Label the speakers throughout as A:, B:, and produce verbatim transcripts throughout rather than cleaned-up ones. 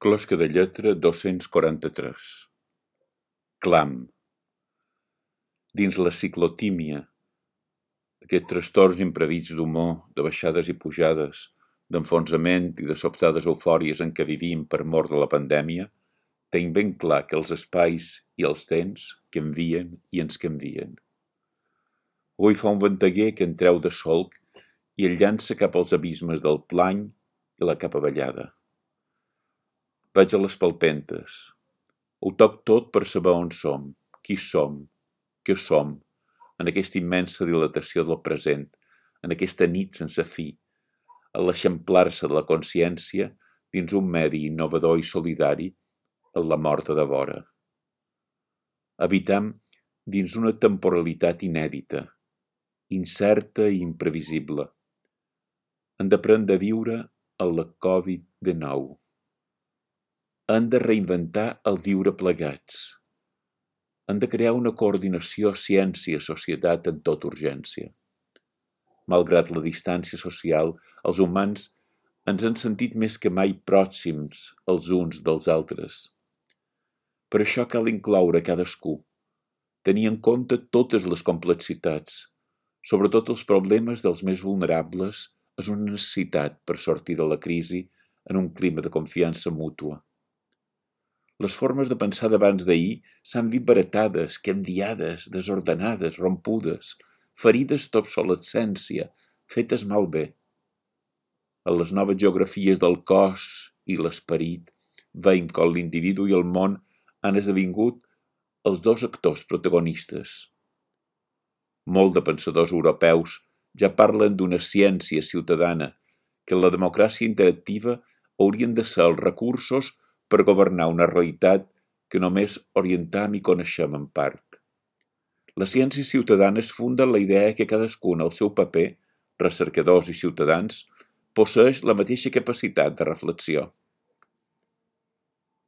A: Closca de lletra dos-cents quaranta-tres. Clam. Dins la ciclotímia, aquests trastorns imprevists d'humor, de baixades i pujades, d'enfonsament i de sobtades eufòries en què vivim per mor de la pandèmia, tenc ben clar que els espais i els temps canvien i ens canvien. Avui fa un venteguer que en treu de solc i el llança cap als abismes del plany i la capa ballada. Vaig a les palpentes. Ho toc tot per saber on som, qui som, què som, en aquesta immensa dilatació del present, en aquesta nit sense fi, a l'eixamplar-se de la consciència dins un medi innovador i solidari en la morta de vora. Habitam dins una temporalitat inèdita, incerta i imprevisible. Hem d'aprendre a viure en la covid dinou. Hem de reinventar el viure plegats. Hem de crear una coordinació ciència-societat en tota urgència. Malgrat la distància social, els humans ens hem sentit més que mai pròxims els uns dels altres. Per això cal incloure cadascú, tenir en compte totes les complexitats, sobretot els problemes dels més vulnerables, és una necessitat per sortir de la crisi en un clima de confiança mútua. Les formes de pensar d'abans d'ahir s'han vist baratades, canviades, desordenades, rompudes, ferides d'obsolescència, fetes malbé. En les noves geografies del cos i l'esperit, veiem com l'individu i el món han esdevingut els dos actors protagonistes. Molt de pensadors europeus ja parlen d'una ciència ciutadana, que en la democràcia interactiva haurien de ser els recursos per governar una realitat que només orientam i coneixem en part. La ciència ciutadana es funda en la idea que cadascun al seu paper, recercadors i ciutadans, posseix la mateixa capacitat de reflexió.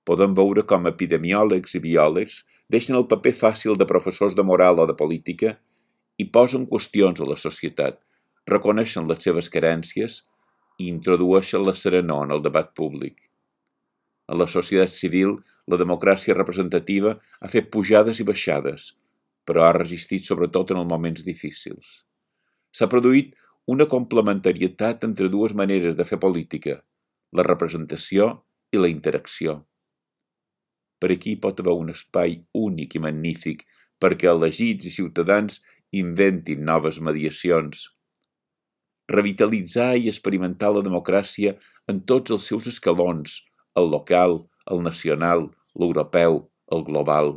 A: Podem veure com epidemiòlegs i biòlegs deixen el paper fàcil de professors de moral o de política i posen qüestions a la societat, reconeixen les seves carències i introdueixen la serenor en el debat públic. En la societat civil, la democràcia representativa ha fet pujades i baixades, però ha resistit sobretot en els moments difícils. S'ha produït una complementarietat entre dues maneres de fer política, la representació i la interacció. Per aquí pot haver un espai únic i magnífic perquè elegits i ciutadans inventin noves mediacions. Revitalitzar i experimentar la democràcia en tots els seus escalons, el local, el nacional, l'europeu, el global.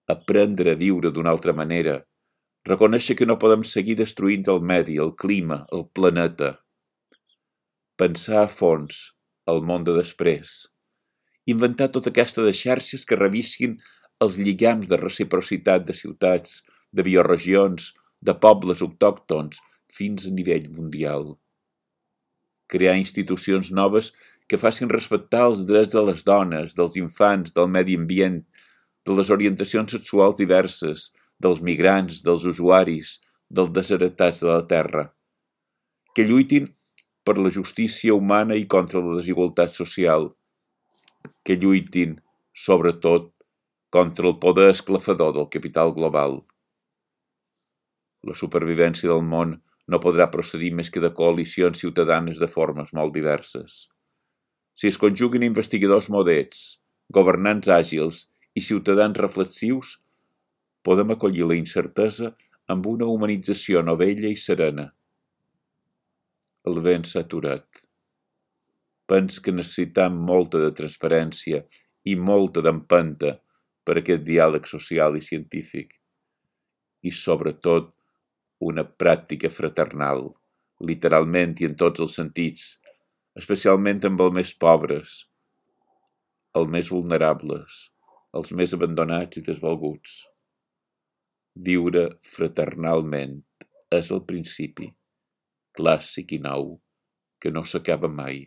A: Aprendre a viure d'una altra manera, reconèixer que no podem seguir destruint el medi, el clima, el planeta. Pensar a fons el món de després. Inventar tota aquesta de xarxes que revisquin els lligams de reciprocitat de ciutats, de bioregions, de pobles autòctons, fins a nivell mundial. Crear institucions noves que facin respectar els drets de les dones, dels infants, del medi ambient, de les orientacions sexuals diverses, dels migrants, dels usuaris, dels desheretats de la terra. Que lluitin per la justícia humana i contra la desigualtat social. Que lluitin, sobretot, contra el poder esclafador del capital global. La supervivència del món no podrà procedir més que de coalicions ciutadanes de formes molt diverses. Si es conjuguen investigadors modets, governants àgils i ciutadans reflexius, podem acollir la incertesa amb una humanització novella i serena. El vent s'ha aturat. Pens que necessitam molta de transparència i molta d'empenta per aquest diàleg social i científic. I, sobretot, una pràctica fraternal, literalment i en tots els sentits, especialment amb els més pobres, els més vulnerables, els més abandonats i desvalguts. Viure fraternalment és el principi, clàssic i nou, que no s'acaba mai.